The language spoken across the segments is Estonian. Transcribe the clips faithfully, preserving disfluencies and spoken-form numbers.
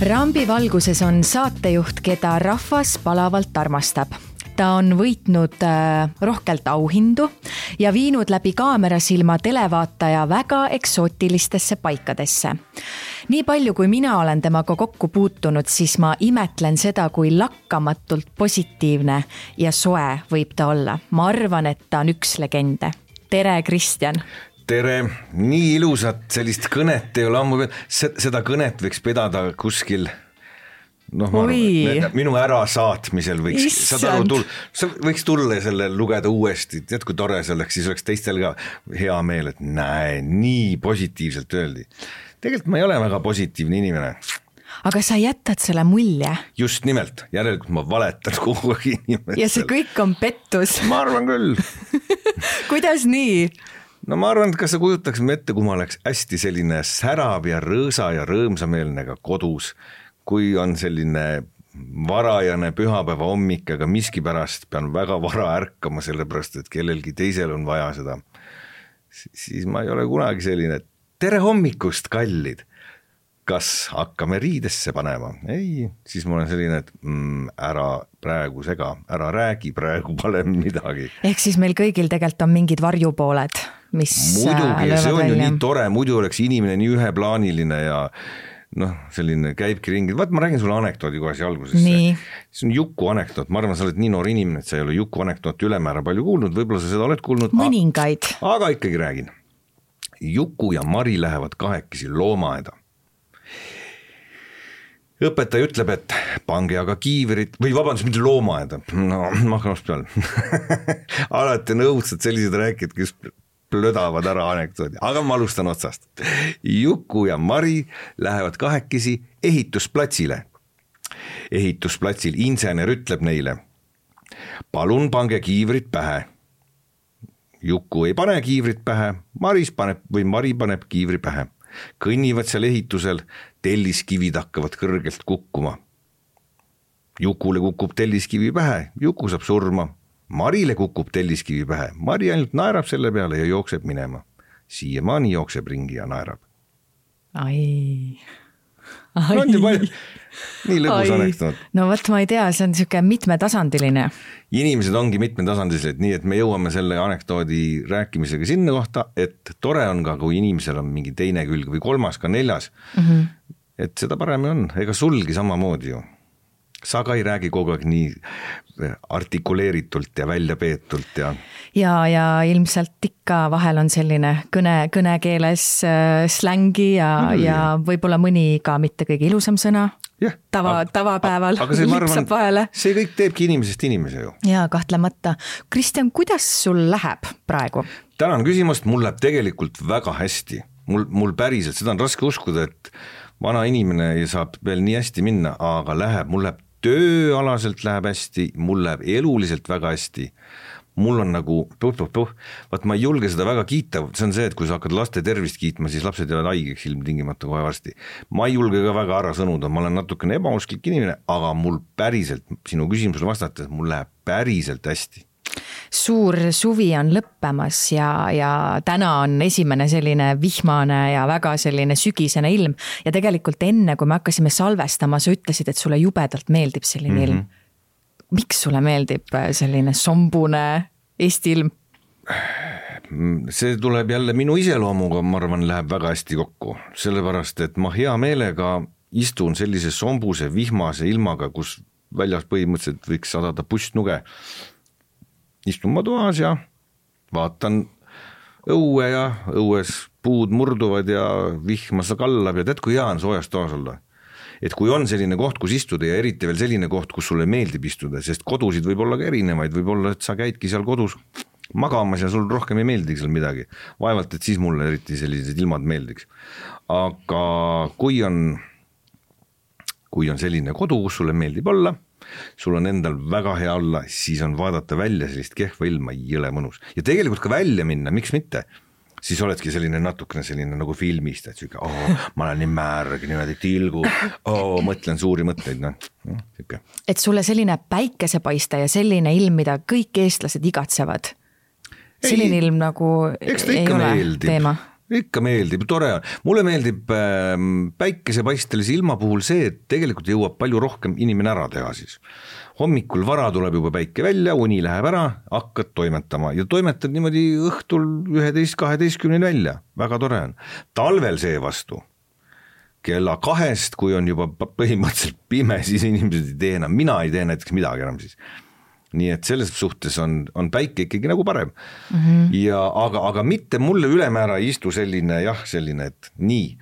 Rambi valguses on saatejuht, keda rahvas palavalt armastab. Ta on võitnud äh, rohkelt auhindu ja viinud läbi kaamerasilma televaataja väga eksootilistesse paikadesse. Nii palju, kui mina olen temaga kokku puutunud, siis ma imetlen seda, kui lakkamatult positiivne ja soe võib ta olla. Ma arvan, et ta on üks legende. Tere, Kristjan! Tere, nii ilusat sellist kõnet ei ole ammu, seda kõnet võiks pedada kuskil, noh, ma arvan, minu ärasaatmisel võiks, saad aru, tull, võiks tulla ja selle lugeda uuesti, tead kui tore see oleks, siis oleks teistel ka hea meel, et näe, nii positiivselt öeldi. Tegelikult ma ei ole väga positiivne inimene. Aga sa jätad selle mulje? Just nimelt, järelikult ma valetan kogu inimestele. Ja see kõik on pettus. Ma arvan küll. Kuidas nii? No ma arvan, et kas sa kujutaks ette, kui ma oleks hästi selline särav ja rõõsa ja rõõmsameelne ka kodus, kui on selline varajane pühapäeva hommik, aga miskipärast pean väga vara ärkama sellepärast, et kellelgi teisel on vaja seda. Siis ma ei ole kunagi selline, tere hommikust, kallid. Kas hakkame riidesse panema? Ei, siis ma olen selline, et mm, ära praegu sega, ära räägi praegu pale midagi. Ehk siis meil kõigil tegelikult on mingid varjupooled, mis muidugi, see on välja. Ju nii tore, muidu oleks inimene nii üheplaaniline ja noh, selline käibki ringi. Vaat ma räägin sulle anekdoodi kohe siia alguses. See on Juku anekdoot. Ma arvan, sa oled nii noor inimene, et sa ei ole Juku anekdooti ülemäära palju kuulnud. Võib-olla sa seda oled kuulnud. Mõningaid. Aga ikkagi räägin. Juku ja Mari lähevad kahekesi loomaaeda. Õpetaja ütleb, et pange aga kiiverit, või vabandust, mitte loomaaeda. No, ma hakkan ost peal. Alati on õudsad sellised rääkid, kes plödavad ära anekdoodi. Aga ma alustan otsast. Juku ja Mari lähevad kahekesi ehitusplatsile. Ehitusplatsil insener ütleb neile, palun pange kiivrit pähe. Juku ei pane kiivrit pähe, Maris paneb, või Mari paneb kiivri pähe. Kõnnivad seal ehitusel, telliskivid hakkavad kõrgelt kukkuma. Jukule kukub telliskivi pähe, Juku saab surma. Marile kukub telliskivi pähe, Mari ainult naerab selle peale ja jookseb minema. Siiamaani jookseb ringi ja naerab. Ai... Ai. No, nii, nii lõbus anekdoot. No võt, ma ei tea, see on niisugune mitmetasandiline. Inimesed ongi mitmetasandilised, nii et me jõuame selle anekdoodi rääkimisega sinna kohta, et tore on ka, kui inimesel on mingi teine külg või kolmas, ka neljas. Mm-hmm. Et seda parem on, ega sulgi samamoodi ju. Sa ka ei räägi kogu aeg nii artikuleeritult ja välja peetult. Ja, ja, ja ilmselt ikka vahel on selline kõne, kõnekeeles äh, slängi ja, mm. ja võib-olla mõni ka mitte kõige ilusam sõna. Yeah. Tava, tavapäeval aga see, lipsab arvan, vahele. See kõik teebki inimesest inimese ju. Ja kahtlemata. Kristjan, kuidas sul läheb praegu? Tänan küsimust, mul läheb tegelikult väga hästi. Mul, mul päriselt, seda on raske uskuda, et vana inimene saab veel nii hästi minna, aga läheb, mul läheb tööalaselt läheb hästi, mul läheb eluliselt väga hästi. Mul on nagu, puh, puh, puh. Vaat ma ei julge seda väga kiita, see on see, et kui sa hakkad laste tervist kiitma, siis lapsed jäävad haigeks ilmtingimata kohe varsti. Ma ei julge ka väga ära sõnuda, ma olen natukene ebausklik inimene, aga mul päriselt, sinu küsimusele vastates, mul läheb päriselt hästi. Suur suvi on lõppemas ja, ja täna on esimene selline vihmane ja väga selline sügisene ilm ja tegelikult enne, kui me hakkasime salvestama, sa ütlesid, et sulle jubedalt meeldib selline mm-hmm. ilm. Miks sulle meeldib selline sombune Eesti ilm? See tuleb jälle minu iseloomuga, ma arvan, läheb väga hästi kokku, sellepärast, et ma hea meelega istun sellise sombuse vihmase ilmaga, kus väljas põhimõtteliselt võiks sadada pustnuge. Istun ma toas ja vaatan õue ja õues puud murduvad ja vihma sa kallab ja tead, kui hea on soojas toas olla. Et kui on selline koht, kus istuda ja eriti veel selline koht, kus sulle meeldib istuda, sest kodusid võib olla ka erinevaid, võib olla, et sa käidki seal kodus magamas ja sul rohkem ei meeldiks seal midagi. Vaevalt, et siis mulle eriti sellised ilmad meeldiks. Aga kui on, kui on selline kodu, kus sulle meeldib olla, sul on endal väga hea olla, siis on vaadata välja sellist kehva ilma jõle mõnus. Ja tegelikult ka välja minna, miks mitte? Siis oledki selline natukene selline nagu filmist, et süke, oh, ma olen nii märg, niimoodi tilgu, oh, mõtlen suuri mõtteid. No, no, et sulle selline päikesepaiste ja selline ilm, mida kõik eestlased igatsevad. Selline ei, ilm nagu ei ole meeldib. Teema. ikka meeldib, tore on. Mulle meeldib päikesepaistelise ilma puhul see, et tegelikult jõuab palju rohkem inimene ära teha siis. Hommikul vara tuleb juba päike välja, uni läheb ära, hakkad toimetama ja toimetad niimoodi õhtul üheteist kaheteistkümneni välja. Väga tore on. Talvel see vastu. Kella kahest, kui on juba põhimõtteliselt pime, siis inimesed ei tee enam. Mina ei tee näiteks midagi enam siis. Nii et selles suhtes on, on päike ikkagi nagu parem. Mm-hmm. Ja, aga, aga mitte mulle ülemäära ei istu selline, jah, selline, et nii,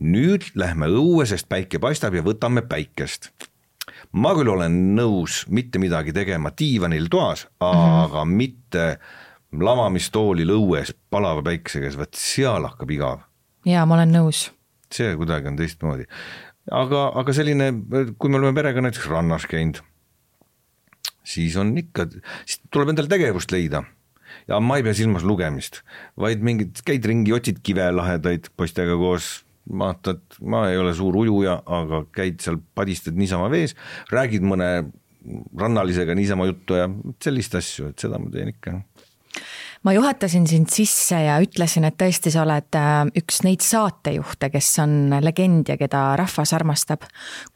nüüd lähme õue, sest päike paistab ja võtame päikest. Ma küll olen nõus mitte midagi tegema diivanil toas, mm-hmm. aga mitte lamamistoolil õues palava päikesega, võt seal hakkab igav. Jaa, ma olen nõus. See kuidagi on teistmoodi. Aga, aga selline, kui me oleme perega näiteks rannas käinud, siis on ikka, siis tuleb endal tegevust leida ja ma ei pea silmas lugemist, vaid mingid käid ringi, otsid kive lahedaid poistega koos, vaatad, ma ei ole suur ujuja, aga käid seal, padistad niisama vees, räägid mõne rannalisega niisama juttu ja sellist asju, et seda ma teen ikka. Ma juhatasin sind sisse ja ütlesin, et tõesti sa oled üks neid saatejuhte, kes on legend ja keda rahvas armastab.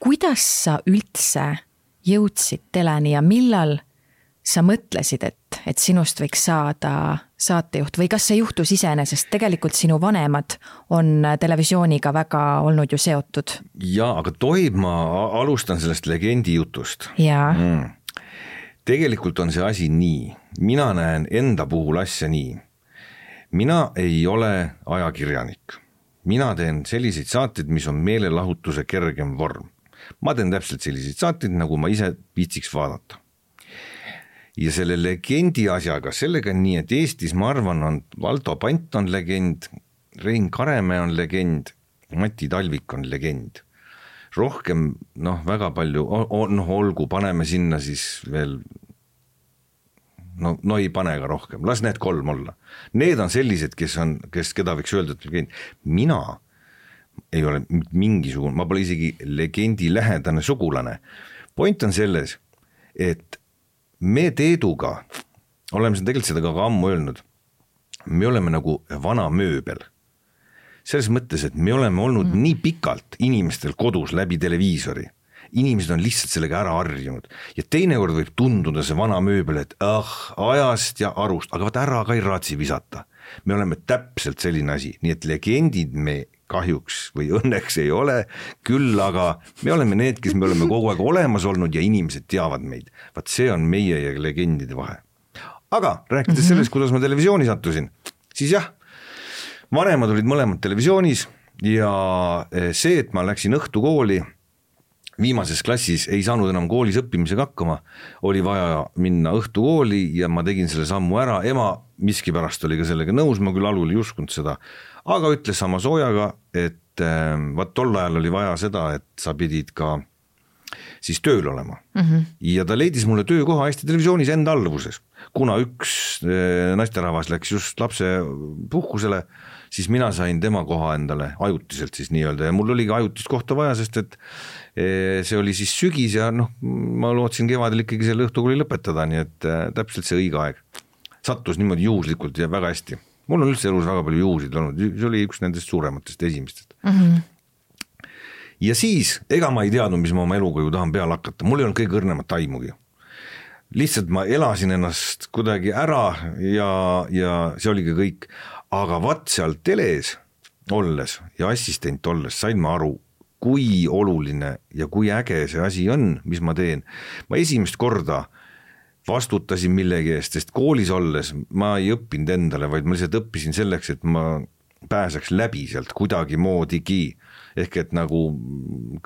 Kuidas sa üldse jõudsid teleni ja millal sa mõtlesid, et, et sinust võiks saada saatejuht või kas see juhtus iseenesest? Tegelikult sinu vanemad on televisiooniga väga olnud ju seotud. Ja, aga tohib ma alustan sellest legendi jutust. Ja. Mm. Tegelikult on see asi nii. Mina näen enda puhul asja nii. Mina ei ole ajakirjanik. Mina teen selliseid saateid, mis on meelelahutuse kergem vorm. Ma teen täpselt selliseid saateid, nagu ma ise viitsiks vaadata. Ja selle legendi asjaga, sellega nii, et Eestis ma arvan on Valdo Pant on legend, Rein Karemäe on legend, Mati Talvik on legend. Rohkem, noh, väga palju, noh, olgu, paneme sinna siis veel, no, no ei pane ka rohkem, las need kolm olla. Need on sellised, kes on, kes, keda võiks öelda, et legend. Mina ei ole mingisugune, ma pole isegi legendi lähedane sugulane. Point on selles, et me Teeduga, oleme tegelikult seda ka ammu öelnud, me oleme nagu vana mööbel. Selles mõttes, et me oleme olnud mm. nii pikalt inimestel kodus läbi televiisori. Inimesed on lihtsalt sellega ära harjunud. Ja teinekord võib tunduda see vana mööbel, et ah, ajast ja arust, aga vaata ära ka ei raatsi visata. Me oleme täpselt selline asi, nii et legendid me kahjuks või õnneks ei ole, küll aga me oleme need, kes me oleme kogu aeg olemas olnud ja inimesed teavad meid. Vaat see on meie ja legendide vahe. Aga rääkides mm-hmm. sellest, kuidas ma televisiooni sattusin, siis jah, vanemad olid mõlemad televisioonis ja see, et ma läksin õhtukooli, viimases klassis ei saanud enam koolis õppimisega hakkama, oli vaja minna õhtukooli ja ma tegin selle sammu ära, ema miskipärast oli ka sellega nõus, ma küll alul ei uskunud seda, aga ütles sama soojaga, et äh, vaat tol ajal oli vaja seda, et sa pidid ka siis tööl olema. Mm-hmm. Ja ta leidis mulle töökoha Eesti Televisioonis enda alluvuses. Kuna üks äh, naisterahvas läks just lapse puhkusele, siis mina sain tema koha endale ajutiselt siis nii-öelda ja mul oli ka ajutist kohta vaja, sest et äh, see oli siis sügis ja noh, ma lootsin kevadel ikkagi selle õhtukooli lõpetada, nii et äh, täpselt see õige aeg. Sattus niimoodi juhuslikult ja väga hästi. Mul on üldse elus väga palju juhusid olnud, see oli üks nendest suurematest esimestest. Mm-hmm. Ja siis, ega ma ei teadnud, mis ma oma eluga ju tahan peale hakata, mul ei olnud kõige õrnemat taimugi. Lihtsalt ma elasin ennast kuidagi ära ja, ja see oligi kõik, aga vaat seal teles olles ja assistent olles sain ma aru, kui oluline ja kui äge see asi on, mis ma teen. Ma esimest korda vastutasin millegi eest, sest koolis olles ma ei õppinud endale, vaid ma lihtsalt õppisin selleks, et ma pääseks läbi sealt kuidagi moodigi. Ehk et nagu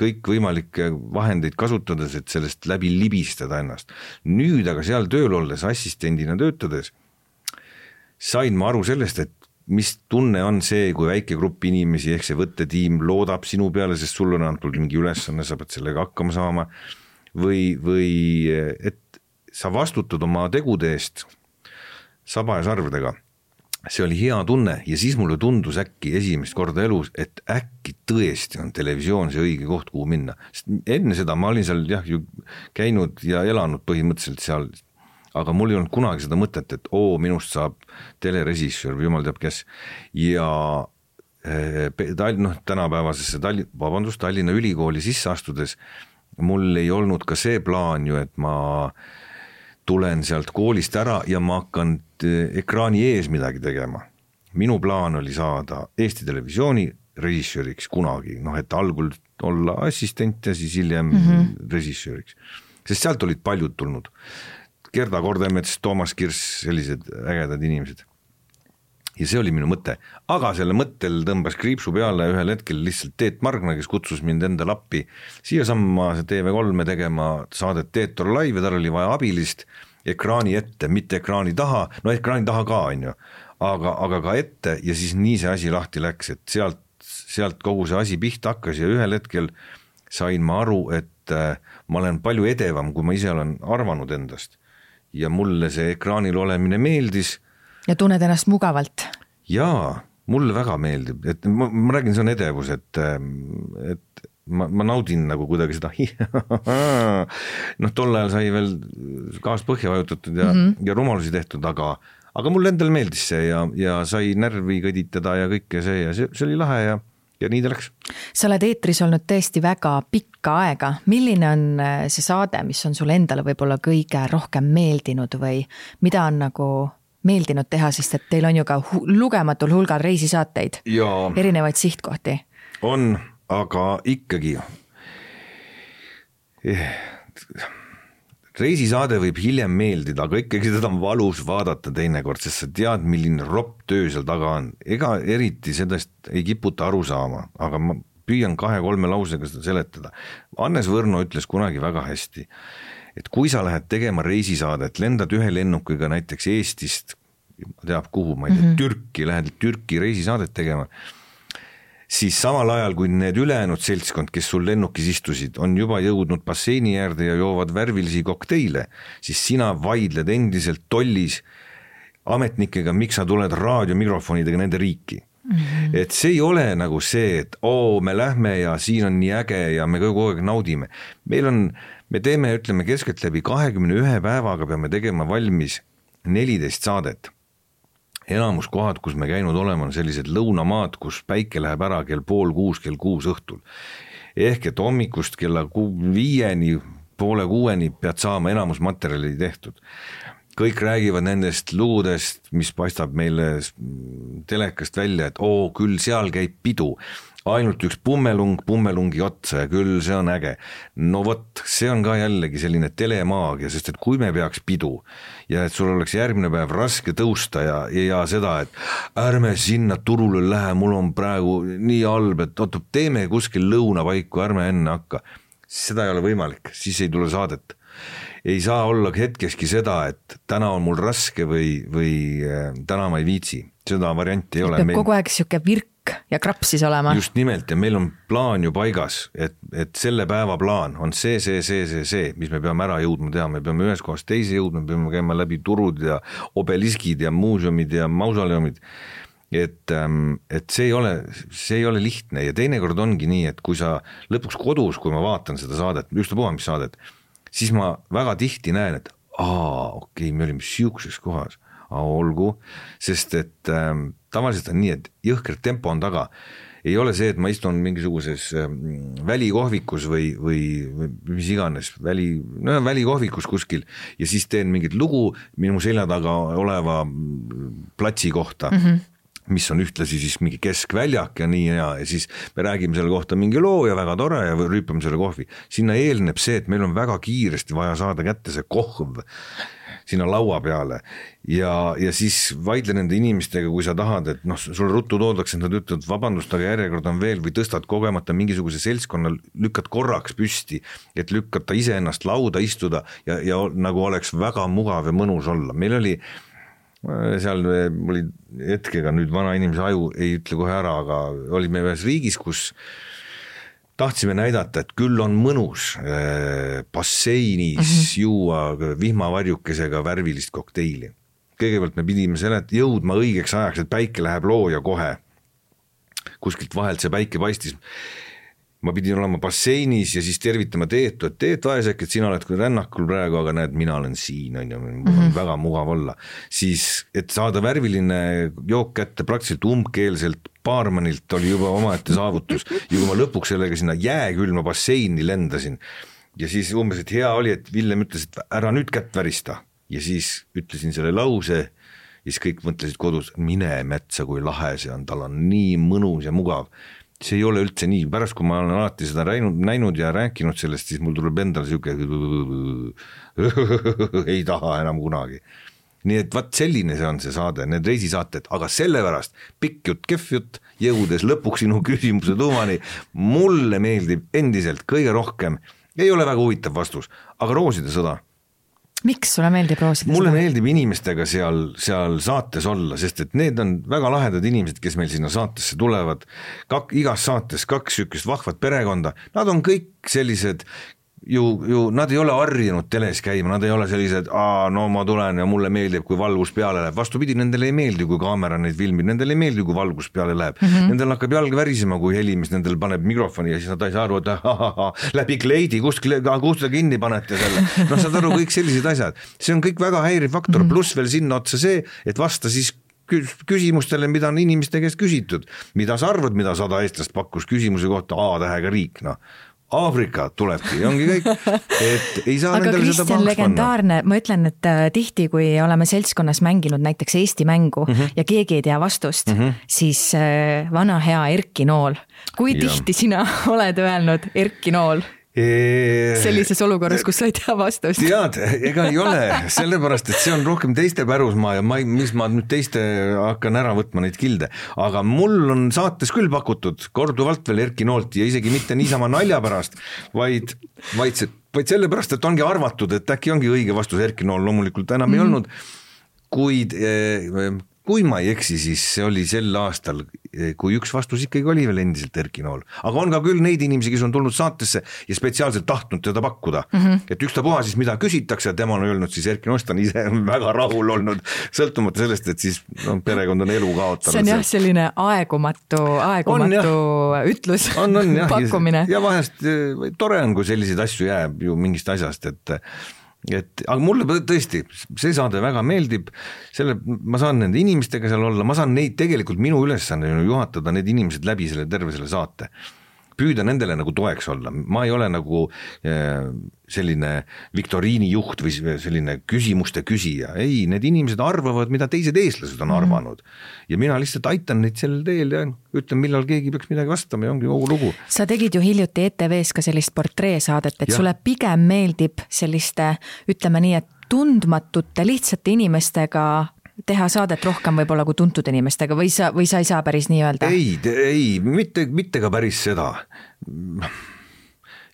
kõik võimalikke vahendeid kasutades, et sellest läbi libistada ennast. Nüüd aga seal tööl olles, assistendina töötades, sain ma aru sellest, et mis tunne on see, kui väike grupp inimesi, ehk see võttetiim loodab sinu peale, sest sul on antud mingi ülesanne, sa pead sellega hakkama saama, või, või et sa vastutad oma tegude eest saba ja sarvedega. See oli hea tunne ja siis mulle tundus äkki esimest korda elus, et äkki tõesti on televisioon see õige koht, kuhu minna. Sest enne seda ma olin seal jah, ju käinud ja elanud põhimõtteliselt seal, aga mul ei olnud kunagi seda mõtet, et oo, minust saab telerežissöör või jumal teab kes. Ja noh, tänapäevasesse Tallinn, vabandust, Tallinna ülikooli sisse astudes mul ei olnud ka see plaan ju, et ma tulen sealt koolist ära ja ma hakkan ekraani ees midagi tegema. Minu plaan oli saada Eesti Televisiooni režissööriks kunagi, noh et algul olla assistent ja siis hiljem mm-hmm. režissööriks, sest sealt olid paljud tulnud. Gerda Kordemets, Toomas Kirss, sellised ägedad inimesed. Ja see oli minu mõte, aga selle mõttel tõmbas kriipsu peale ühel hetkel lihtsalt Teet Margna, kes kutsus mind enda lappi siia samma T V kolme tegema saadet Teetor Live ja tal oli vaja abilist ekraani ette, mitte ekraani taha, no ekraani taha ka on ju, aga, aga ka ette ja siis nii see asi lahti läks, et sealt, sealt kogu see asi pihta hakkas ja ühel hetkel sain ma aru, et ma olen palju edevam, kui ma ise olen arvanud endast ja mulle see ekraanil olemine meeldis. Ja tunned ennast mugavalt? Jaa, mulle väga meeldib, et ma, ma räägin, see on edevus, et, et ma, ma naudin nagu kuidagi seda noh, tol ajal sai veel gaas põhja vajutatud ja, mm-hmm. ja rumalusi tehtud, aga, aga mulle endal meeldis see ja, ja sai närvi kõditada ja kõike see ja see, see oli lahe ja, ja nii ta läks. Sa oled eetris olnud tõesti väga pikka aega. Milline on see saade, mis on sulle endale võib-olla kõige rohkem meeldinud või mida on nagu meeldinud teha, sest et teil on ju ka hu- lugematul hulgal reisisaateid, ja erinevaid sihtkohti. On, aga ikkagi reisisaade võib hiljem meeldida, aga ikkagi seda on valus vaadata teinekord, sest sa tead, milline ropp töö seal taga on. Ega eriti sellest ei kiputa aru saama, aga ma püüan kahe-kolme lausega seda seletada. Annes Võrno ütles kunagi väga hästi, et kui sa lähed tegema reisisaadet, lendad ühe lennukiga näiteks Eestist, teab kuhu, ma ei tea, mm-hmm. Türki, lähed Türki reisisaadet tegema, siis samal ajal, kui need ülejäänud seltskond, kes sul lennukis istusid, on juba jõudnud basseini äärde ja joovad värvilisi kokteile, siis sina vaidled endiselt tollis ametnikega, miks sa tuled raadiomikrofonidega nende riiki. Mm-hmm. Et see ei ole nagu see, et oo, me lähme ja siin on nii äge ja me kogu aeg naudime. Meil on, me teeme, ütleme, keskelt läbi kahekümne ühe päevaga peame tegema valmis neliteist saadet. Enamus kohad, kus me käinud oleme, on sellised lõunamaad, kus päike läheb ära kell pool kuus, kell kuus õhtul. Ehk et hommikust kella viieni, poole kuueni pead saama enamus materjali tehtud. Kõik räägivad nendest lugudest, mis paistab meile telekast välja, et oo, küll seal käib pidu. Ainult üks pummelung, pummelungi otsa ja küll see on äge. No vot, see on ka jällegi selline telemaagia, sest et kui me peaks pidu ja et sul oleks järgmine päev raske tõusta ja, ja seda, et ärme sinna turule lähe, mul on praegu nii halb, et oot, teeme kuskil lõunapaiku, ärme enne hakka. Seda ei ole võimalik, siis ei tule saadet. Ei saa olla hetkeski seda, et täna on mul raske või, või täna ma ei viitsi. Seda varianti ei ole. Peab kogu aeg siuke virk ja krapsis olema. Just nimelt ja meil on plaan ju paigas, et, et selle päeva plaan on see, see, see, see, see, mis me peame ära jõudma teha. Me peame ühes kohas teise jõudma, me peame käima läbi turud ja obeliskid ja muuseumid ja mausoleumid. Et, et see ei ole, see ei ole lihtne ja teinekord ongi nii, et kui sa lõpuks kodus, kui ma vaatan seda saadet, just puha, mis saadet, siis ma väga tihti näen, et aa, okei, me olime siukses kohas, aa, olgu, sest et ähm, tavaliselt on nii, et jõhker tempo on taga. Ei ole see, et ma istun mingisuguses ähm, välikohvikus või, või, või mis iganes, väli, no, välikohvikus kuskil ja siis teen mingit lugu minu selja taga oleva platsi kohta. Mm-hmm. mis on ühtlasi siis mingi keskväljak ja nii ja, ja siis me räägime selle kohta mingi loo ja väga tore ja rüüpame selle kohvi. Sinna eelneb see, et meil on väga kiiresti vaja saada kätte see kohv sinna laua peale ja, ja siis vaidle nende inimestega, kui sa tahad, et noh, sul ruttu toodaks, et nad ütlevad vabandust, aga järjekord on veel või tõstad kogemata mingisuguse seltskonna, lükkad korraks püsti, et lükkata ise ennast lauda istuda ja, ja nagu oleks väga mugav ja mõnus olla. Meil oli seal oli hetkega nüüd vana inimese aju ei ütle kohe ära, aga olime ühes riigis, kus tahtsime näidata, et küll on mõnus basseinis mm-hmm. juua vihmavarjukesega värvilist kokteili. Kõigepealt me pidime selet jõudma õigeks ajaks, et päike läheb looja kohe. Kuskilt vahelt see päike paistis. Ma pidin olema basseinis ja siis tervitama Teetu, et Teet vaesek, et sina oled kui rännakul praegu, aga näed, mina olen siin, on, ja mul on mm-hmm. väga mugav olla. Siis, et saada värviline jook kätte praktiliselt umbkeelselt, baarmanilt oli juba omaette saavutus ja kui ma lõpuks sellega sinna jääkülma basseini lendasin ja siis umbes, et hea oli, et Villem ütles, et ära nüüd kätt värista ja siis ütlesin selle lause ja siis kõik mõtlesid kodus, mine metsa, kui lahe see on, tal on nii mõnus ja mugav. See ei ole üldse nii, pärast kui ma olen alati seda näinud, näinud ja rääkinud sellest, siis mul tuleb endale siuke ei taha enam kunagi. Nii et vaat selline see on see saade, need reisisaated, aga sellepärast pikk jutt, kehv jutt, jõudes lõpuks sinu küsimuse tuumani, mulle meeldib endiselt kõige rohkem, ei ole väga huvitav vastus, aga Rooside sõda. Miks sulle meeldib Rooside mulle sõda? meeldib inimestega seal, seal saates olla, sest et need on väga lahedad inimesed, kes meil sinna saatesse tulevad, Kak, igas saates kaks sükest vahvat perekonda, nad on kõik sellised ju, ju nad ei ole harjunud teles käima, nad ei ole sellised, aa, no ma tulen ja mulle meeldib, kui valgus peale läheb, vastupidi, nendele ei meeldi, kui kaamera neid filmib, nendele ei meeldi, kui valgus peale läheb, mm -hmm. nendel hakkab jalg värisema, kui helimis, nendel paneb mikrofoni ja siis nad ei saa aru, et ahaha, läbi kleidi, kust, kust te kinni panete selle, noh, saad aru, kõik sellised asjad, see on kõik väga häiriv faktor, pluss veel sinna otsa see, et vasta siis küsimustele, mida on inimeste käest küsitud, mida sa arvad, mida sada eestlast pakkus küsimuse kohta A-tähega riik, noh Aafrika tulebki, ongi kõik, et ei saa aga nendele seda pahaks legendaarne, ma ütlen, et tihti, kui oleme seltskonnas mänginud näiteks Eesti mängu mm -hmm. ja keegi ei tea vastust, mm -hmm. siis vana hea Erki Nool, kui ja. tihti sina oled öelnud Erki Nool? Sellises olukorras, kus sa ei tea vastust. Tead, ega ei ole, sellepärast, et see on rohkem teiste pärusmaa ja ma, mis ma nüüd teiste hakkan ära võtma neid kilde, aga mul on saates küll pakutud korduvalt veel Erki Noolt ja isegi mitte niisama nalja pärast, vaid, vaid, see, vaid sellepärast, et ongi arvatud, et äkki ongi õige vastus Erki Nool loomulikult enam mm. ei olnud, kuid kui ma ei eksi, siis see oli sel aastal, kui üks vastus ikkagi oli veel endiselt Erki Nool. Aga on ka küll neid inimesi, kes on tulnud saatesse ja spetsiaalselt tahtnud teda pakkuda. Mm -hmm. Et ükstapuha siis mida küsitakse, tema on öelnud, siis Erki Noost on ise väga rahul olnud, sõltumata sellest, et siis no, perekond on elu kaotanud. See on jah selline aegumatu, aegumatu on, ütlus, on, on, jah, pakkumine. Ja vahest tore on, kui selliseid asju jääb ju mingist asjast, et et aga mulle tõesti see saade väga meeldib, selle ma saan nende inimestega seal olla, ma saan neid tegelikult minu ülesanne juhatada need inimesed läbi selle terve selle saate, püüda nendele nagu toeks olla, ma ei ole nagu selline viktoriini juht või selline küsimuste küsija, ei, need inimesed arvavad, mida teised eestlased on arvanud ja mina lihtsalt aitan neid sellel teel ja ütlen, millal keegi peaks midagi vastama ja ongi kogu lugu. Sa tegid ju hiljuti E T V-s ka sellist portreesaadet, et ja. sulle pigem meeldib selliste, ütleme nii, et tundmatute lihtsate inimestega teha saadet rohkem võib-olla kui tuntud inimestega või sa, või sa ei saa päris nii öelda? Ei, ei, mitte, mitte ka päris seda.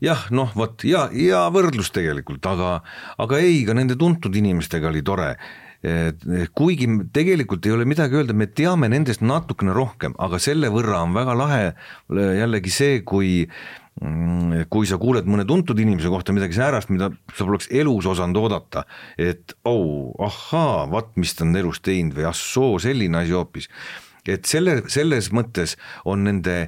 Jah, noh, võt, ja, ja võrdlus tegelikult, aga, aga ei, ka nende tuntud inimestega oli tore. Kuigi tegelikult ei ole midagi öelda, me teame nendest natukene rohkem, aga selle võrra on väga lahe jällegi see, kui kui sa kuuled mõne tuntud inimese kohta midagi säärast, mida sa poleks elus osanud oodata, et oh, ahaa, vat mis ta on elus teinud või assoo, selline asi hoopis. Et selle, selles mõttes on nende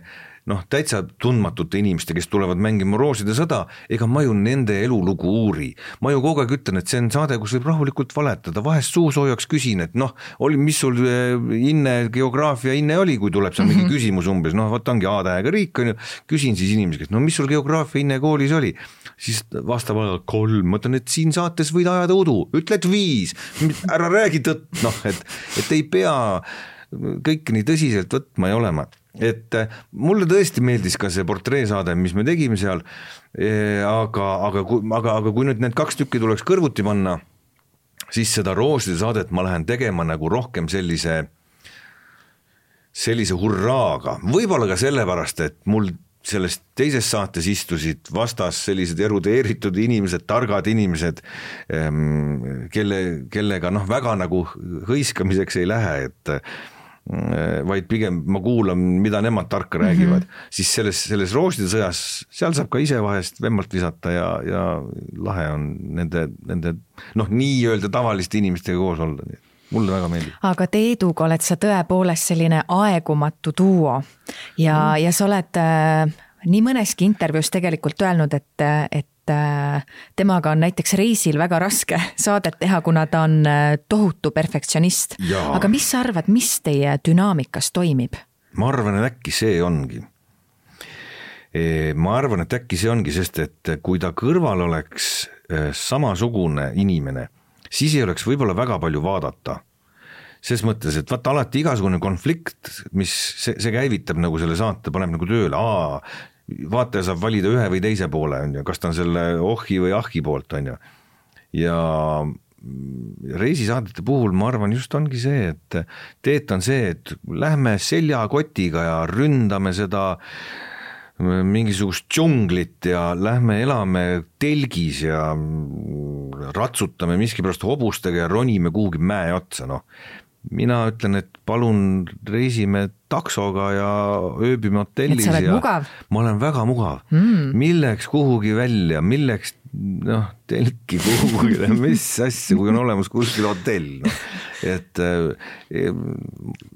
noh, täitsa tundmatute inimeste, kes tulevad mängima Rooside sõda, ega ma ju nende elulugu uuri. Ma ju kogu aeg ütlen, et see on saade, kus võib rahulikult valetada, vahest suusoojaks küsin, et noh, oli, mis sul inne, geograafia inne oli, kui tuleb seal mingi mm -hmm. küsimus umbes, noh, võt ongi A-tähega riik, on ju, küsin siis inimesi, no mis sul geograafia inne koolis oli, siis vastab aga kolm, mõtlen, et siin saates võid ajada udu, ütled viis, ära räägi tõtt, noh, et, et ei pea kõik nii tõsiselt võtma ja olema. Et mulle tõesti meeldis ka see portreesaade, mis me tegime seal, aga, aga, aga, aga kui nüüd need kaks tükki tuleks kõrvuti panna, siis seda Rooside saadet ma lähen tegema nagu rohkem sellise, sellise hurraaga. Võib-olla ka sellepärast, et mul selles teises saates istusid vastas sellised erudeeritud inimesed, targad inimesed, kelle, kellega noh, väga nagu hõiskamiseks ei lähe, et vaid pigem ma kuulan, mida nemad tarka räägivad, mm -hmm. siis selles, selles Rooside sõjas, seal saab ka ise vahest vemmalt visata ja, ja lahe on nende, nende noh, nii öelda tavaliste inimestega koos olla. Mulle väga meeldib. Aga Teeduga oled sa tõepoolest selline aegumatu duo ja, mm. ja sa oled äh, nii mõneski intervjuus tegelikult öelnud, et, et temaga on näiteks reisil väga raske saadet teha, kuna ta on tohutu perfektsionist. Aga mis sa arvad, mis teie dünaamikas toimib? ma arvan, et äkki see ongi. Ma arvan, et äkki see ongi, sest et kui ta kõrval oleks samasugune inimene, siis ei oleks võib-olla väga palju vaadata. Ses mõttes, et vaata alati igasugune konflikt, mis see, see käivitab nagu selle saate, paneb nagu tööle, aa, vaataja saab valida ühe või teise poole, on ju, kas ta on selle ohhi või ahhi poolt, on ju. Ja reisisaadete puhul ma arvan just ongi see, et teet on see, et lähme seljakotiga ja ründame seda mingisugust džunglit ja lähme elame telgis ja ratsutame miskipärast hobustega ja ronime kuhugi mäe otsa, noh. Mina ütlen, et palun reisime taksoga ja ööbime hotellis. Et sa oled ja mugav? Ma olen väga mugav. Mm. Milleks kuhugi välja, milleks noh, telki kuhugi, mis asja, kui on olemas kuskil hotell. No. Et eh,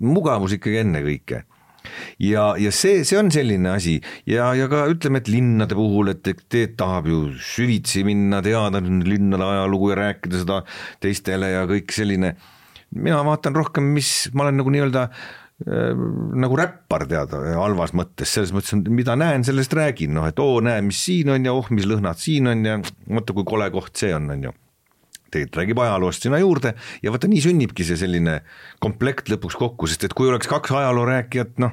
mugavus ikkagi enne kõike. Ja, ja see, see on selline asi ja, ja ka ütleme, et linnade puhul, et teed tahab ju süvitsi minna, teada linnade ajalugu ja rääkida seda teistele ja kõik selline. Mina vaatan rohkem, mis ma olen nagu nii-öelda äh, nagu räppar teada halvas mõttes, selles mõttes, mida näen, sellest räägin, noh, et oo, näe, mis siin on ja oh, mis lõhnad siin on ja mõtta, kui kole koht see on, on ju. Tegelikult räägib ajaloost sinna juurde ja vaata, nii sünnibki see selline komplekt lõpuks kokku, sest et kui oleks kaks ajaloo rääkijat, noh,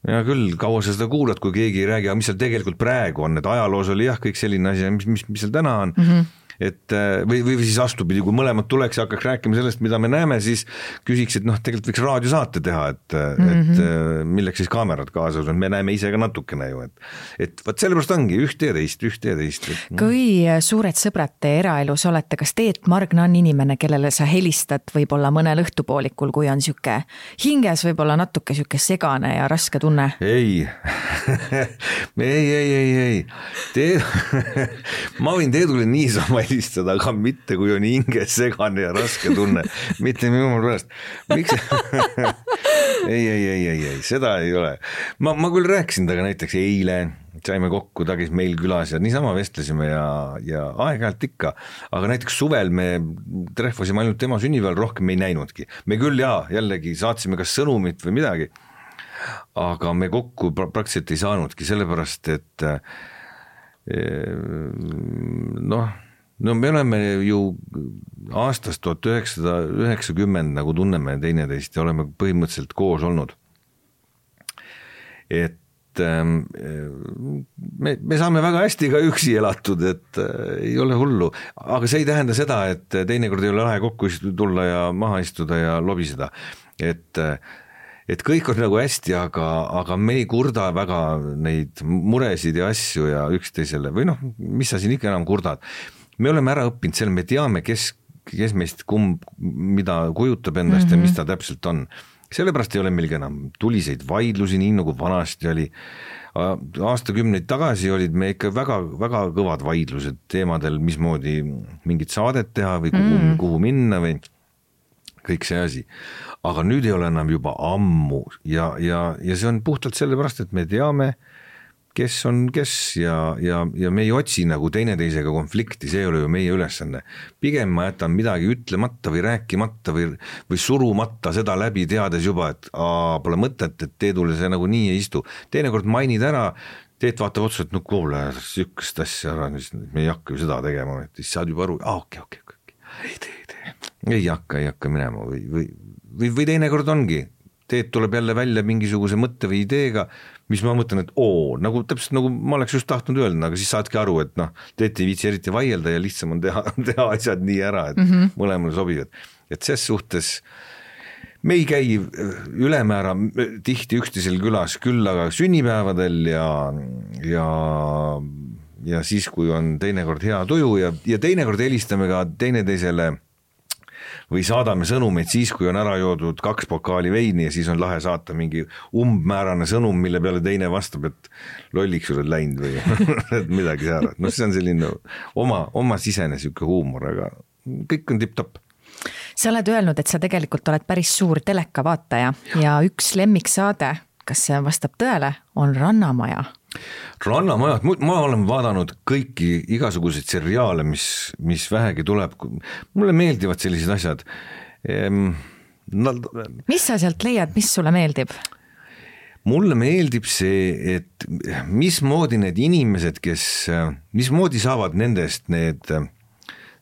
ja küll, kaua sa seda kuulad, kui keegi ei räägi, aga mis seal tegelikult praegu on, et ajaloos oli jah, kõik selline asi, mis, mis, mis seal täna on, mm-hmm. et või, või siis astupidi, kui mõlemad tuleks ja hakkaks rääkima sellest, mida me näeme, siis küsiks, et noh, tegelikult võiks raadiosaate teha, et, mm-hmm. et milleks siis kaamerad kaasas on, me näeme ise ka natukene ju, et, et võt sellepärast ongi ühte ja teist, ühte ja teist. Et, kui suured sõbrad te eraelus olete, kas Teet Margna on inimene, kellele sa helistad võib-olla mõnel õhtupoolikul, kui on siuke hinges võib-olla natuke siuke segane ja raske tunne? Ei, ei, ei, ei, ei. Teed... ma võin Teedule niisama helistada, aga mitte kui on hinges segane ja raske tunne. Mitte minu pärast. Miks? ei, ei, ei, ei, ei, seda ei ole. Ma, ma küll rääkisin taga näiteks eile, saime kokku, ta käis meil külas ja niisama vestlesime ja, ja aeg-ajalt ikka, aga näiteks suvel me trehvasime ainult tema sünnipäeval, rohkem me ei näinudki. Me küll jaa, jällegi saatsime kas sõnumit või midagi, aga me kokku praktiliselt ei saanudki, sellepärast, et noh, no me oleme ju aastast tuhat üheksasada üheksakümmend nagu tunneme teineteist ja oleme põhimõtteliselt koos olnud. Et me, me saame väga hästi ka üksi elatud, et ei ole hullu, aga see ei tähenda seda, et teinekord ei ole lahe kokku tulla ja maha istuda ja lobiseda, et, et kõik on nagu hästi, aga, aga me ei kurda väga neid muresid ja asju ja üksteisele või noh, mis sa siin ikka enam kurdad. Me oleme ära õppinud selle, me teame, kes, kes meist kumb, mida kujutab endast mm-hmm. ja mis ta täpselt on. Sellepärast ei ole meilgi enam tuliseid vaidlusi, nii nagu vanasti oli. Aastakümneid tagasi olid me ikka väga, väga kõvad vaidlused teemadel, mismoodi mingit saadet teha või kuhu, mm. kuhu minna või kõik see asi. Aga nüüd ei ole enam juba ammu ja, ja, ja see on puhtalt sellepärast, et me teame, kes on kes ja, ja, ja me ei otsi nagu teineteisega konflikti, see ei ole ju meie ülesanne. Pigem ma jätan midagi ütlemata või rääkimata või, või surumata seda läbi teades juba, et aa, pole mõtet, et Teedule see nagu nii ei istu. Teinekord mainid ära, Teet vaatab otsa, et no kuule, sükest asja ära, me ei hakka ju seda tegema, et siis saad juba aru, aa, okei, okei, okei, ei tee, ei tee, ei hakka, ei hakka minema või, või, või, või teinekord ongi. Teet tuleb jälle välja mingisuguse mõtte või ideega, mis ma mõtlen, et oo, nagu täpselt nagu ma oleks just tahtnud öelda, aga siis saadki aru, et noh, Teet ei viitsi eriti vaielda ja lihtsam on teha, teha asjad nii ära, et mm-hmm. mõlemale sobivad. Et ses suhtes me ei käi ülemäära tihti üksteisel külas, küll aga sünnipäevadel ja, ja, ja siis, kui on teinekord hea tuju ja, ja teinekord helistame ka teineteisele või saadame sõnumeid siis, kui on ära joodud kaks pokaali veini ja siis on lahe saata mingi umbmäärane sõnum, mille peale teine vastab, et lolliks oled läinud või midagi säärat. No see on selline oma, oma sisene siuke huumor, aga kõik on tipp-topp. Sa oled öelnud, et sa tegelikult oled päris suur teleka vaataja ja, ja üks lemmiksaade, kas see vastab tõele, on Rannamaja. Rannamajad, ma olen vaadanud kõiki igasuguseid seriaale, mis, mis vähegi tuleb. Mulle meeldivad sellised asjad. Ehm, no, mis sa sealt leiad, mis sulle meeldib? mulle meeldib see, et mismoodi need inimesed, kes, mismoodi saavad nendest need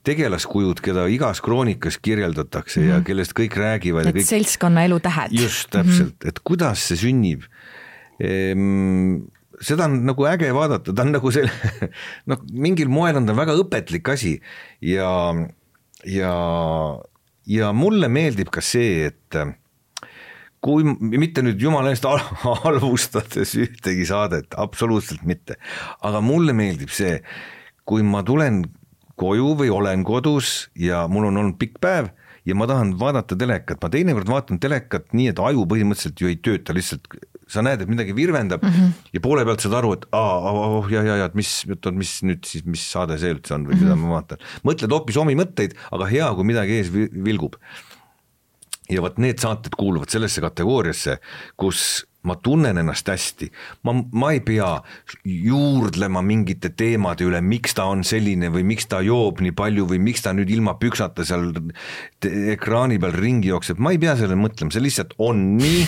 tegelaskujud, keda igas kroonikas kirjeldatakse mm-hmm. ja kellest kõik räägivad. Et kõik... seltskonna elu tähed. Just, täpselt, mm-hmm. et kuidas see sünnib. Ehm, seda on nagu äge vaadata, ta on nagu selle, noh, mingil moel on ta väga õpetlik asi ja, ja, ja mulle meeldib ka see, et kui mitte nüüd jumala eest halvustades ühtegi saadet, absoluutselt mitte, aga mulle meeldib see, kui ma tulen koju või olen kodus ja mul on olnud pikk päev ja ma tahan vaadata telekat, ma teinekord vaatan telekat nii, et aju põhimõtteliselt ju ei tööta, lihtsalt sa näed, et midagi virvendab mm-hmm. ja poole pealt saad aru, et aa, oh, ja, ja, ja, et mis, mis nüüd siis, mis saade see üldse on või mm-hmm. mida ma vaatan. Mõtled hoopis omi mõtteid, aga hea, kui midagi ees vilgub. Ja võt need saated kuuluvad sellesse kategooriasse, kus ma tunnen ennast hästi, ma, ma ei pea juurdlema mingite teemade üle, miks ta on selline või miks ta joob nii palju või miks ta nüüd ilma püksata seal ekraani peal ringi jookseb, ma ei pea selle mõtlema, see lihtsalt on nii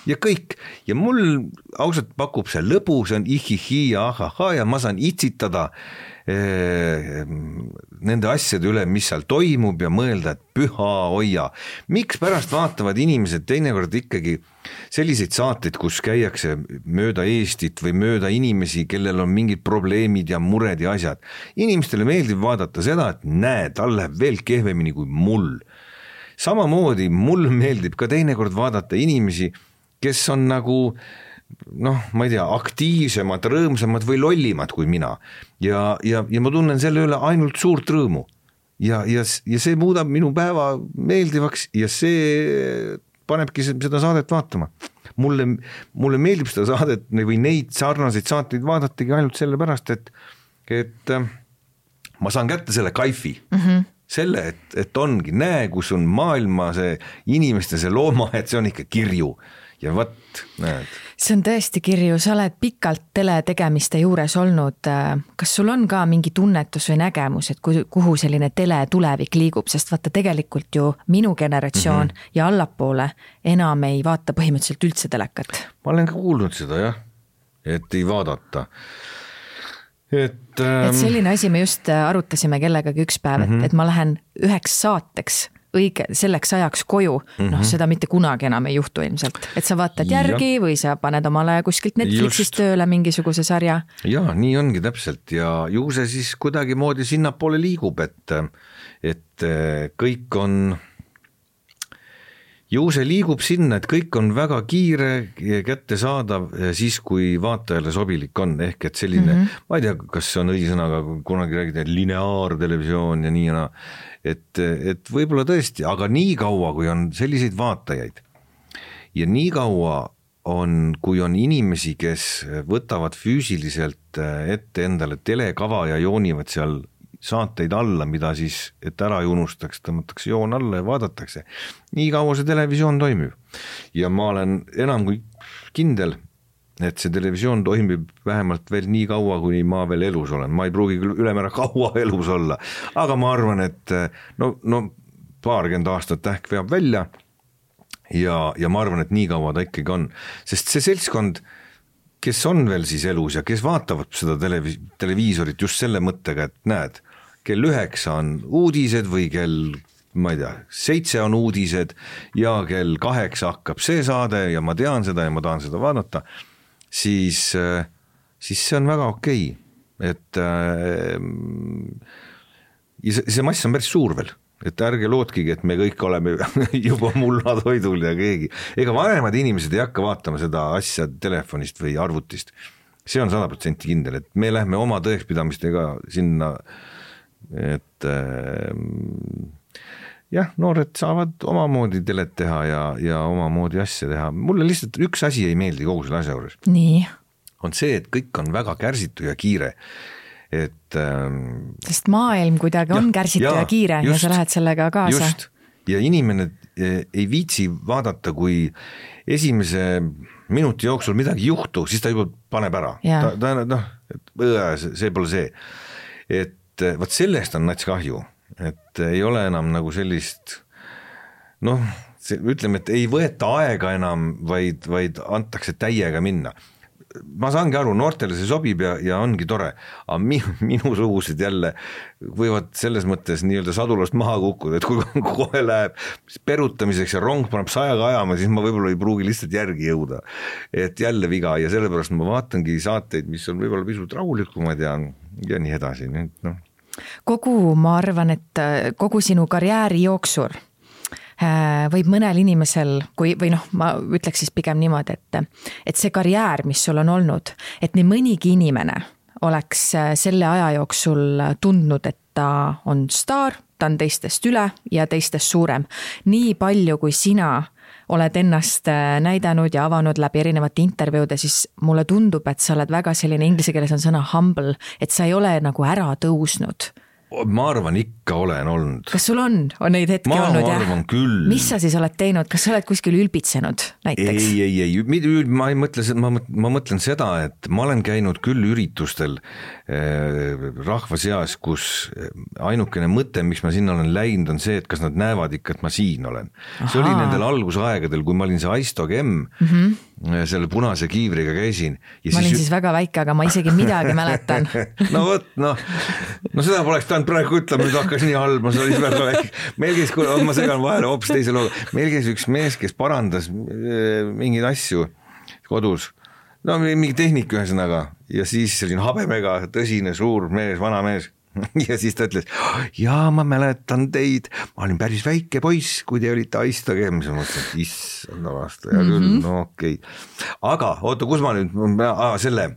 ja kõik. Ja mul ausalt pakub see lõbu, see on ihihi ja ahaha ja ma saan itsitada eh, nende asjade üle, mis seal toimub ja mõelda, et püha hoia. Miks pärast vaatavad inimesed teinekord ikkagi selliseid saateid, kus käiakse mööda Eestit või mööda inimesi, kellel on mingid probleemid ja mured ja asjad. Inimestele meeldib vaadata seda, et näed, tal läheb veel kehvemini kui mul. Samamoodi mul meeldib ka teinekord vaadata inimesi, kes on nagu, noh, ma ei tea, aktiivsemad, rõõmsamad või lollimad kui mina. Ja, ja, ja ma tunnen selle üle ainult suurt rõõmu. Ja, ja, ja see muudab minu päeva meeldivaks ja see panebki seda saadet vaatama. Mulle, mulle meeldib seda saadet või neid sarnaseid saateid vaadatagi ainult selle pärast, et, et ma saan kätte selle kaifi. Mm-hmm. Selle, et, et ongi, näe, kus on maailma see inimeste see looma, et see on ikka kirju. Ja võt, näed. See on tõesti kirju, sa oled pikalt teletegemiste juures olnud. Kas sul on ka mingi tunnetus või nägemus, et kuhu selline tele tulevik liigub, sest vaata tegelikult ju minu generatsioon mm-hmm. ja allapoole enam ei vaata põhimõtteliselt üldse telekat. Ma olen ka kuulnud seda, jah, et ei vaadata. Et, ähm... et selline asi me just arutasime kellegagi üks päev, mm-hmm. et, et ma lähen üheks saateks õige selleks ajaks koju, mm-hmm. noh seda mitte kunagi enam ei juhtu ilmselt, et sa vaatad järgi ja. Või sa paned omale kuskilt Netflixist tööle mingisuguse sarja. Ja, nii ongi täpselt ja ju see siis kuidagi moodi sinnapoole liigub, et, et kõik on, ju see liigub sinna, et kõik on väga kiire ja kättesaadav siis, kui vaatajale sobilik on, ehk et selline, mm-hmm. ma ei tea, kas see on õisõnaga, kunagi räägida lineaartelevisioon ja nii ja naa, et, et võib-olla tõesti, aga nii kaua, kui on selliseid vaatajaid ja nii kaua on, kui on inimesi, kes võtavad füüsiliselt ette endale telekava ja joonivad seal saateid alla, mida siis, et ära ei unustaks, tõmmatakse joon alla ja vaadatakse. Nii kaua see televisioon toimib. Ja ma olen enam kui kindel, et see televisioon toimib vähemalt veel nii kaua, kui ma veel elus olen. Ma ei pruugi küll ülemäära kaua elus olla, aga ma arvan, et no, no paarkümmend aastat ähk veab välja ja, ja ma arvan, et nii kaua ta ikkagi on. Sest see seltskond, kes on veel siis elus ja kes vaatavad seda televi- televiisorit just selle mõttega, et näed, kell üheksa on uudised või kell, ma ei tea, seitse on uudised ja kell kaheksa hakkab see saade ja ma tean seda ja ma tahan seda vaadata, siis, siis see on väga okei. Et ja see, see mass on päris suur veel, et ärge lootkigi, et me kõik oleme juba mullatoidul ja keegi. Ega vanemad inimesed ei hakka vaatama seda asja telefonist või arvutist. See on sada protsenti kindel, et me lähme oma tõekspidamistega sinna, et jah, noored saavad omamoodi telet teha ja, ja omamoodi asja teha. Mulle lihtsalt üks asi ei meeldi kogu selle asja juures. Nii. On see, et kõik on väga kärsitu ja kiire. Et, ähm, sest maailm kuidagi on ja, kärsitu ja, ja kiire just, ja sa lähed sellega kaasa. Just. Ja inimene ei viitsi vaadata, kui esimese minuti jooksul midagi juhtu, siis ta juba paneb ära. Ta, ta, noh, et, see pole see. Et võt sellest on nats kahju, et ei ole enam nagu sellist, noh, ütleme, et ei võeta aega enam, vaid, vaid antakse täiega minna. Ma saangi aru, noortele see sobib ja, ja ongi tore, aga minu, minu sugused jälle võivad selles mõttes nii-öelda sadulast maha kukkuda, et kui kohe läheb perutamiseks ja rong paneb sajaga ajama, siis ma võib-olla ei pruugi lihtsalt järgi jõuda. Et jälle viga ja sellepärast ma vaatangi saateid, mis on võib-olla pisut rahulikumad ja, ja nii edasi. No. Kogu, ma arvan, et kogu sinu karjääri jooksur võib mõnel inimesel, kui, või noh, ma ütleks siis pigem niimoodi, et, et see karjäär, mis sul on olnud, et nii mõnigi inimene oleks selle aja jooksul tundnud, et ta on staar, ta on teistest üle ja teistest suurem. Nii palju, kui sina oled ennast näidanud ja avanud läbi erinevate intervjuude, siis mulle tundub, et sa oled väga selline, inglise keeles on sõna humble, et sa ei ole nagu ära tõusnud. Ma arvan, ikka olen olnud. Kas sul on, on neid hetki ma olnud? Ma arvan küll. Mis sa siis oled teinud? Kas sa oled kuskil ülbitsenud näiteks? Ei, ei, ei. Ma, ei mõtle, ma, ma mõtlen seda, et ma olen käinud küll üritustel eh, rahva seas, kus ainukene mõte, miks ma sinna olen läinud, on see, et kas nad näevad ikka, et ma siin olen. Aha. See oli nendel algusaegadel, kui ma olin see Aisto Gemm, mm-hmm. selle punase kiivriga käisin. Ja ma olin siis, siis väga väike, aga ma isegi midagi mäletan. no võt, no, no seda poleks tahan praegu ütlema, nüüd hakkas nii halb, ma olin väga väike. Meil käis, ma segan vahele hoopis teise looga, meil käis üks mees, kes parandas mingeid asju kodus, no mingi tehnik ühesõnaga ja siis selline habemega tõsine suur mees, vana mees ja siis ta ütles, jaa, ma mäletan teid, ma olin päris väike poiss, kui te olite Aisto Gemm, siis ma mõtlesin, et issanda vastu, ja küll, mm-hmm. no okei okay. Aga oota, kus ma nüüd, aa, selle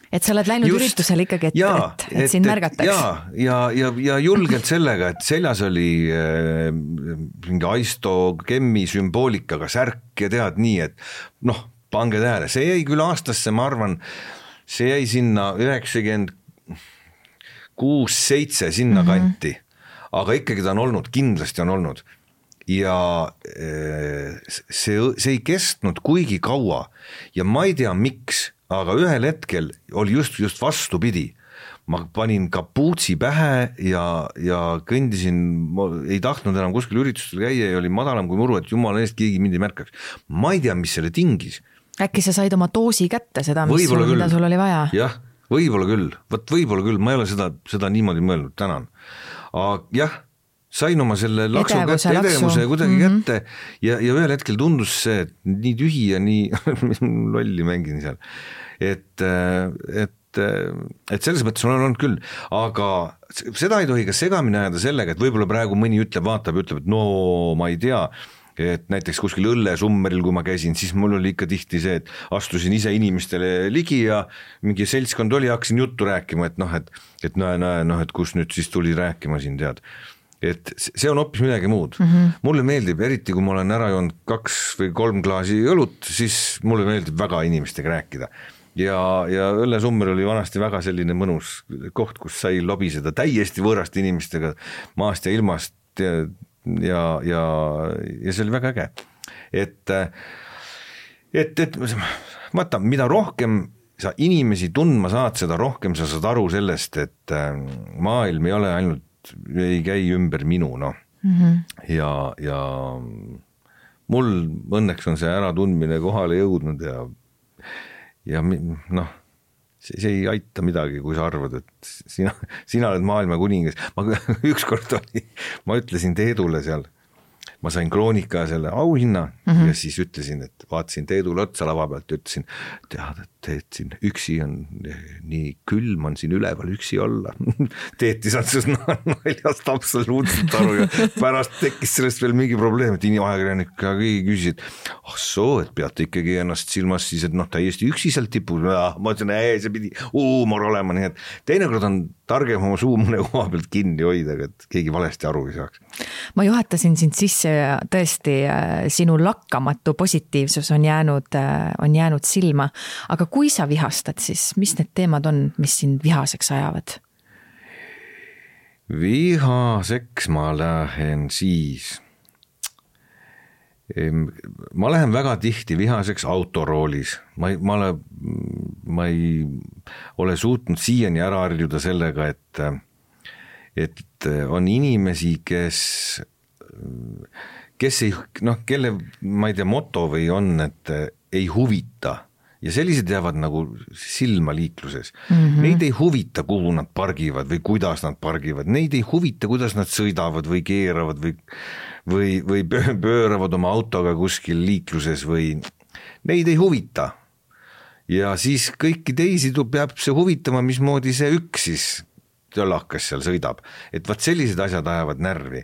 et sa oled läinud Just, üritusel ikkagi, et, ja, et, et, et sind märgataks. Ja, ja, ja, ja julgelt sellega, et seljas oli äh, mingi Aisto Gemmi sümboolikaga särk ja tead nii, et noh, pange tähele, see jäi küll aastasse, ma arvan, see jäi sinna üheksakümmend kuus seitse sinna mm-hmm. kanti, aga ikkagi ta on olnud, kindlasti on olnud ja see, see ei kestnud kuigi kaua ja ma ei tea miks, aga ühel hetkel oli just, just vastupidi. Ma panin kapuutsi pähe ja, ja kõndisin, ma ei tahtnud enam kuskil üritustel käia ja oli madalam kui muru, et jumala eest keegi mind ei märkaks. Ma ei tea, mis selle tingis. Äkki sa said oma doosi kätte, seda, mis sul, mida sul oli vaja? Jah, võib-olla küll, võt võib-olla küll, ma ei ole seda, seda niimoodi mõelnud, tänan. Aga jah, sain oma selle laksu edevuse, kätte, edevuse kuidagi mm-hmm. kätte ja, ja ühel hetkel tundus see, et nii tühi ja nii lolli mängin seal. Et, et, et selles mõttes on olnud küll, aga seda ei tohi ka segamini ajada sellega, et võib-olla praegu mõni ütleb, vaatab, ütleb, et no ma ei tea, et näiteks kuskil õllesummeril, kui ma käisin, siis mul oli ikka tihti see, et astusin ise inimestele ligi ja mingi seltskond oli, hakkasin juttu rääkima, et noh, et, et näe, näe, noh, et kus nüüd siis tuli rääkima siin, tead. Et see on hoopis midagi muud. Mm-hmm. Mulle meeldib, eriti kui ma olen ära joonud kaks või kolm klaasi õlut, siis mulle meeldib väga inimestega rääkida. Ja, ja õllesummer oli vanasti väga selline mõnus koht, kus sai lobiseda täiesti võõraste inimestega maast ja ilmast ja ja, ja, ja see oli väga äge. Et, et, et vaata, mida rohkem sa inimesi tundma saad, seda rohkem sa saad aru sellest, et maailm ei ole ainult, ei käi ümber minu, noh. Mm-hmm. Ja, ja mul õnneks on see äratundmine kohale jõudnud ja, ja noh, See, see ei aita midagi, kui sa arvad, et sina, sina oled maailma kuningas. Ma ükskord oli, ma ütlesin Teedule seal, ma sain Kroonika selle auhinna mm-hmm. ja siis ütlesin, et vaatasin Teedule otsa lava pealt ja ütlesin, tead, et Teet siin üksi on nii külm on siin üleval üksi olla. Teet ei saanud sellest naljast absoluutselt aru ja pärast tekkis sellest veel mingi probleem, et inimajakirjanika keegi küsis, et ah soo, et peate ikkagi ennast silmas siis, et noh, täiesti üksi sealt tipus. Ma ütlesin, ei, see pidi huumor olema, nii et teinekord on targem oma suu mõne koha pealt kinni hoida, et keegi valesti aru ei saaks. Ma juhatasin sind sisse ja tõesti sinu lakkamatu positiivsus on jäänud, on jäänud silma, aga kui sa vihastad, siis mis need teemad on, mis sind vihaseks ajavad? Vihaseks ma lähen siis, ma lähen väga tihti vihaseks autoroolis, ma ei, ma, ole, ma ei ole suutnud siiani ära harjuda sellega, et, et on inimesi, kes, kes ei, noh, kelle, ma ei tea, moto või on, et ei huvita ja sellised jäävad nagu silma liikluses. Mm-hmm. Neid ei huvita, kuhu nad pargivad või kuidas nad pargivad, neid ei huvita, kuidas nad sõidavad või keeravad või, või, või pööravad oma autoga kuskil liikluses või neid ei huvita. Ja siis kõiki teisi peab see huvitama, mismoodi see üks siis tölakas seal sõidab. Et vaat sellised asjad ajavad närvi.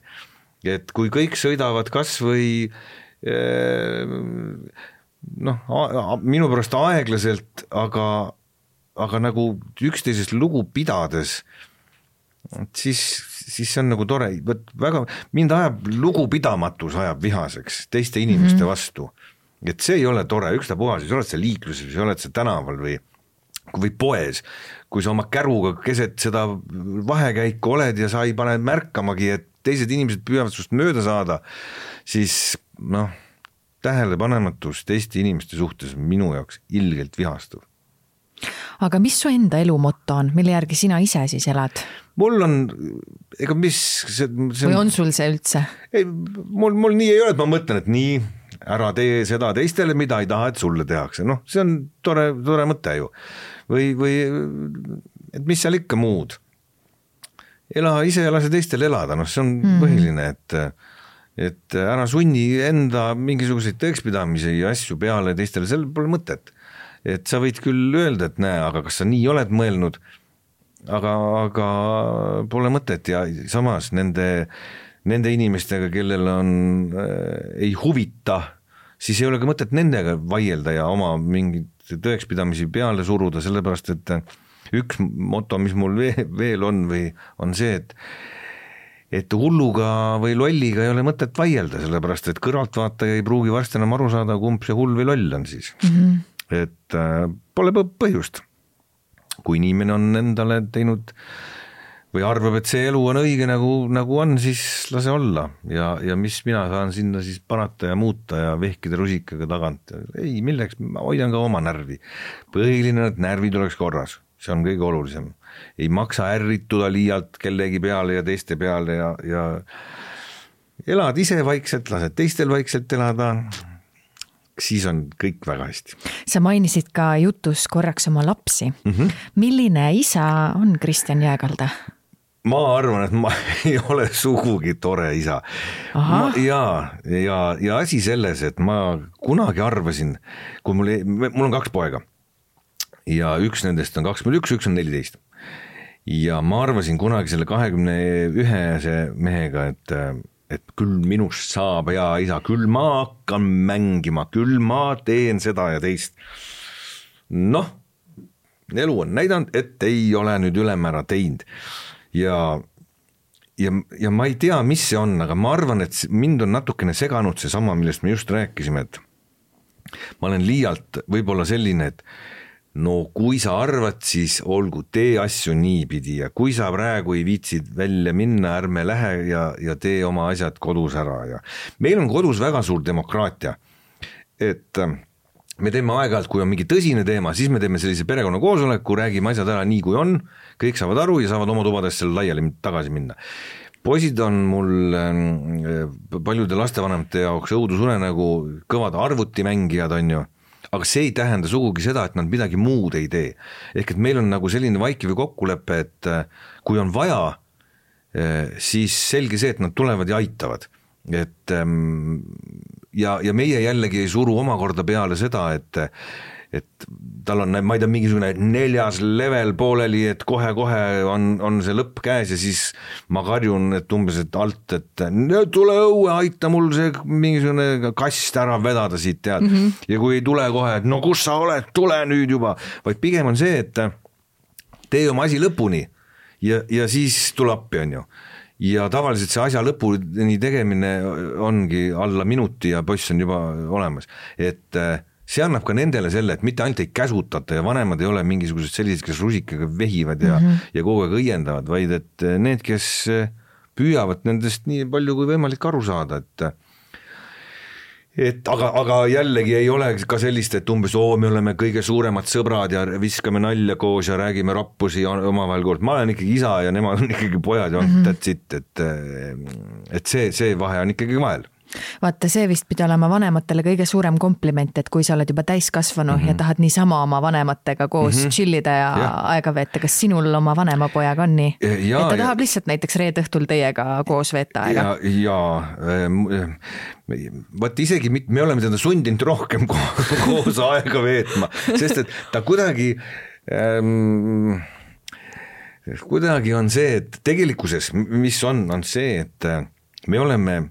Et kui kõik sõidavad kas või noh, minu pärast aeglaselt, aga, aga nagu üksteisest lugu pidades, siis, siis see on nagu tore, väga, mind ajab lugupidamatus ajab vihaseks teiste inimeste mm-hmm. vastu, et see ei ole tore, ükstapuha, siis oled sa liikluses või oled sa tänaval või, või poes, kui sa oma käruga keset seda vahekäiku oled ja sa ei pane märkamagi, et teised inimesed püüavad sust mööda saada, siis noh, tähelepanematus teiste inimeste suhtes minu jaoks ilgelt vihastuv. Aga mis su enda elu motto on, mille järgi sina ise siis elad? Mul on, ega mis see, see või on sul see üldse? Ei, mul, mul nii ei ole, et ma mõtlen, et nii, ära tee seda teistele, mida ei taha, et sulle tehakse. Noh, see on tore, tore mõte ju. Või, või et mis seal ikka muud? Ela ise ja lase teistel elada, noh, see on mm. põhiline, et et ära sunni enda mingisuguseid tõekspidamisi ja asju peale teistele, sellel pole mõtet. Et sa võid küll öelda, et näe, aga kas sa nii oled mõelnud, aga, aga pole mõtet ja samas nende, nende inimestega, kellel on, äh, ei huvita, siis ei ole ka mõtet nendega vaielda ja oma mingid tõekspidamisi peale suruda, sellepärast et üks moto, mis mul veel on või on see, et et hulluga või lolliga ei ole mõtet vaielda, sellepärast et kõrvaltvaataja ei pruugi varsti enam aru saada, kumb see hull või loll on siis. Mm-hmm. Et äh, pole põhjust. Kui inimene on endale teinud või arvab, et see elu on õige nagu, nagu on, siis lase olla. Ja, ja mis mina saan sinna siis panata ja muuta ja vehkida rusikaga tagant. Ei, milleks, ma hoidan ka oma närvi. Põhiline, et närvid oleks korras. See on kõige olulisem. Ei maksa ärrituda liialt kellegi peale ja teiste peale ja, ja elad ise vaikselt, lased teistel vaikselt elada, siis on kõik väga hästi. Sa mainisid ka jutus korraks oma lapsi. Mm-hmm. Milline isa on Kristjan Jääkalda? Ma arvan, et ma ei ole sugugi tore isa. Ma, ja, ja, ja asi selles, et ma kunagi arvasin, kui mul, mul on kaks poega, ja üks nendest on kakskümmend üks, üks on neliteist. Ja ma arvasin kunagi selle kahekümne ühe mehega, et, et küll minust saab hea isa, küll ma hakkan mängima, küll ma teen seda ja teist. Noh, elu on näidanud, et ei ole nüüd ülemäära teinud. Ja, ja, ja ma ei tea, mis see on, aga ma arvan, et mind on natukene seganud see sama, millest me just rääkisime, et ma olen liialt võib-olla selline, et no kui sa arvad, siis olgu, tee asju niipidi ja kui sa praegu ei viitsid välja minna, ärme lähe ja, ja tee oma asjad kodus ära. Ja meil on kodus väga suur demokraatia, et me teeme aeg-ajalt, kui on mingi tõsine teema, siis me teeme sellise perekonna koosoleku, räägime asjad ära nii kui on, kõik saavad aru ja saavad oma tubadest selle laiali tagasi minna. Poisid on mul paljude lastevanemate jaoks õudusune nagu kõvad arvutimängijad on ju, aga see ei tähenda sugugi seda, et nad midagi muud ei tee. Ehk et meil on nagu selline vaikiv kokkulepe, et kui on vaja, siis selge see, et nad tulevad ja aitavad. Et, ja, ja meie jällegi ei suru omakorda peale seda, et, et tal on, ma ei tea, mingisugune neljas level pooleli, et kohe-kohe on, on see lõpp käes ja siis ma karjun, et umbes et alt, et tule õue, aita mul see mingisugune kast ära vedada siit tead. Mm-hmm. Ja kui ei tule kohe, et no kus sa oled, tule nüüd juba, vaid pigem on see, et tee oma asi lõpuni ja, ja siis tule appi on ju. Ja tavaliselt see asja lõpuni tegemine ongi alla minuti ja poiss on juba olemas, et see annab ka nendele selle, et mitte ainult ei käsutata ja vanemad ei ole mingisugused sellised, kes rusikaga vehivad ja, mm-hmm. ja kogu aeg õiendavad, vaid et need, kes püüavad nendest nii palju kui võimalik aru saada, et et aga, aga jällegi ei ole ka sellist, et umbes oo, me oleme kõige suuremad sõbrad ja viskame nalja koos ja räägime rappusi omavahel koos. Ma olen ikkagi isa ja nemad on ikkagi pojad ja on mm-hmm. that's it, et, et see, see vahe on ikkagi vahel. Vaata, see vist pidi olema vanematele kõige suurem kompliment, et kui sa oled juba täiskasvanu mm -hmm. ja tahad niisama oma vanematega koos mm -hmm. chillida ja, ja aega veeta, kas sinul oma vanemapojaga on nii? Ja, et ta tahab ja... lihtsalt näiteks reed õhtul teiega koos veeta aega? Ja, ja äh, vaat isegi me oleme teda sundinud rohkem koos aega veetma, sest et ta kuidagi ähm, kuidagi on see, et tegelikkuses, mis on, on see, et me oleme,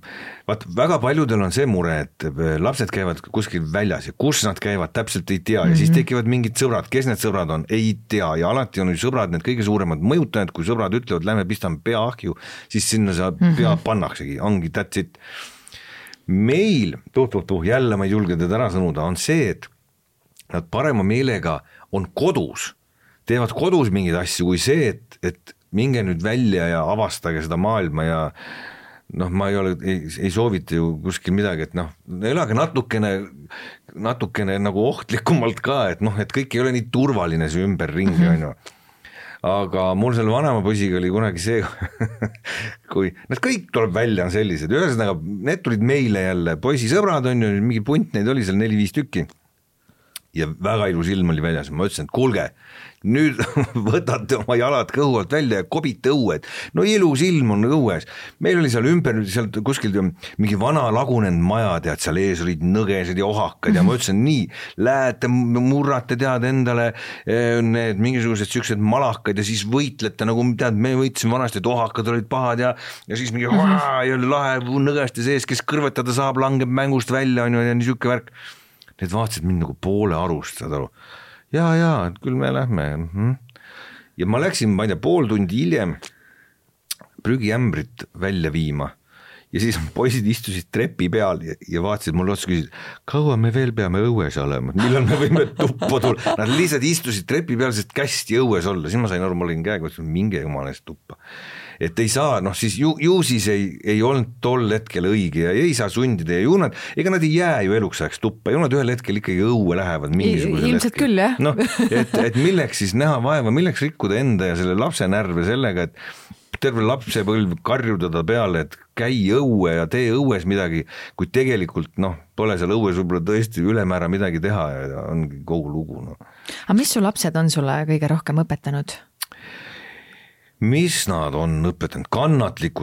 vaat väga paljudel on see mure, et lapsed käivad kuskil väljas ja kus nad käivad, täpselt ei tea ja mm-hmm. siis tekivad mingid sõbrad, kes need sõbrad on, ei tea ja alati on ju sõbrad need kõige suuremad mõjutajad, kui sõbrad ütlevad, lähme pistame pea ahju, siis sinna sa mm-hmm. pea pannaksegi, ongi that's it. Meil, tuh-tuh-tuh, jälle ma ei julge teda ära sõnuda, on see, et nad parema meelega on kodus, teevad kodus mingeid asju kui see, et, et minge nüüd välja ja avastage seda maailma ja noh, ma ei ole, ei, ei soovita ju kuskil midagi, et noh, elage natukene, natukene nagu ohtlikumalt ka, et noh, et kõik ei ole nii turvaline see ümberringi mm, -hmm. on ju. Aga mul selle vanema poisiga oli kunagi see, kui nad kõik tuleb välja on sellised, ühesõnaga need tulid meile jälle, poisisõbrad on ju, mingi punt neid oli seal neli-viis tükki ja väga ilus ilm oli väljas, ma ütlesin, et kuulge, nüüd võtate oma jalad kõhu alt välja ja kobite õued. No ilus ilm on õues. Meil oli seal ümber, seal kuskil mingi vana lagunenud maja, tead, seal ees olid nõgesed ja ohakad ja ma ütlesin, nii, lähete, murrate, tead, endale need mingisugused süksed malakad ja siis võitlete, nagu tead, me võitsime vanasti, et ohakad olid pahad ja, ja siis mingi haa, ja lahe mõgeste sees, kes kõrvetada saab, langeb mängust välja, on ju, ja niisugune värk. Need vaatasid mind nagu poole arust, saad aru. Ja, ja, et küll me lähme. Ja ma läksin, ma ei tea, pool tundi hiljem prügiämbrit välja viima ja siis poisid istusid trepi peal ja, ja vaatasid mulle otsa, küsisid, kaua me veel peame õues olema, millal me võime tuppa tulla. Nad lihtsalt istusid trepi peal, sest kästi õues olla, siis ma sain aru, ma olin käega, minge jumalest tuppa. Et ei saa, noh siis ju, ju siis ei, ei olnud tol hetkel õige ja ei saa sundida ja ju nad, ega nad ei jää ju eluks ajaks tuppa, ju nad ühel hetkel ikkagi õue lähevad mingisugusel ilmselt hetkel. Küll, jah. No, et, et milleks siis näha vaeva, milleks rikkuda enda ja selle lapse närve sellega, et terve lapsepõlv karjuda ta peale, et käi õue ja tee õues midagi, kui tegelikult noh, pole seal õues võib-olla tõesti ülemäära midagi teha ja ongi kogu lugu. No. Aga mis su lapsed on sulle kõige rohkem õpetanud? Mis nad on õpetanud? Kannatlikku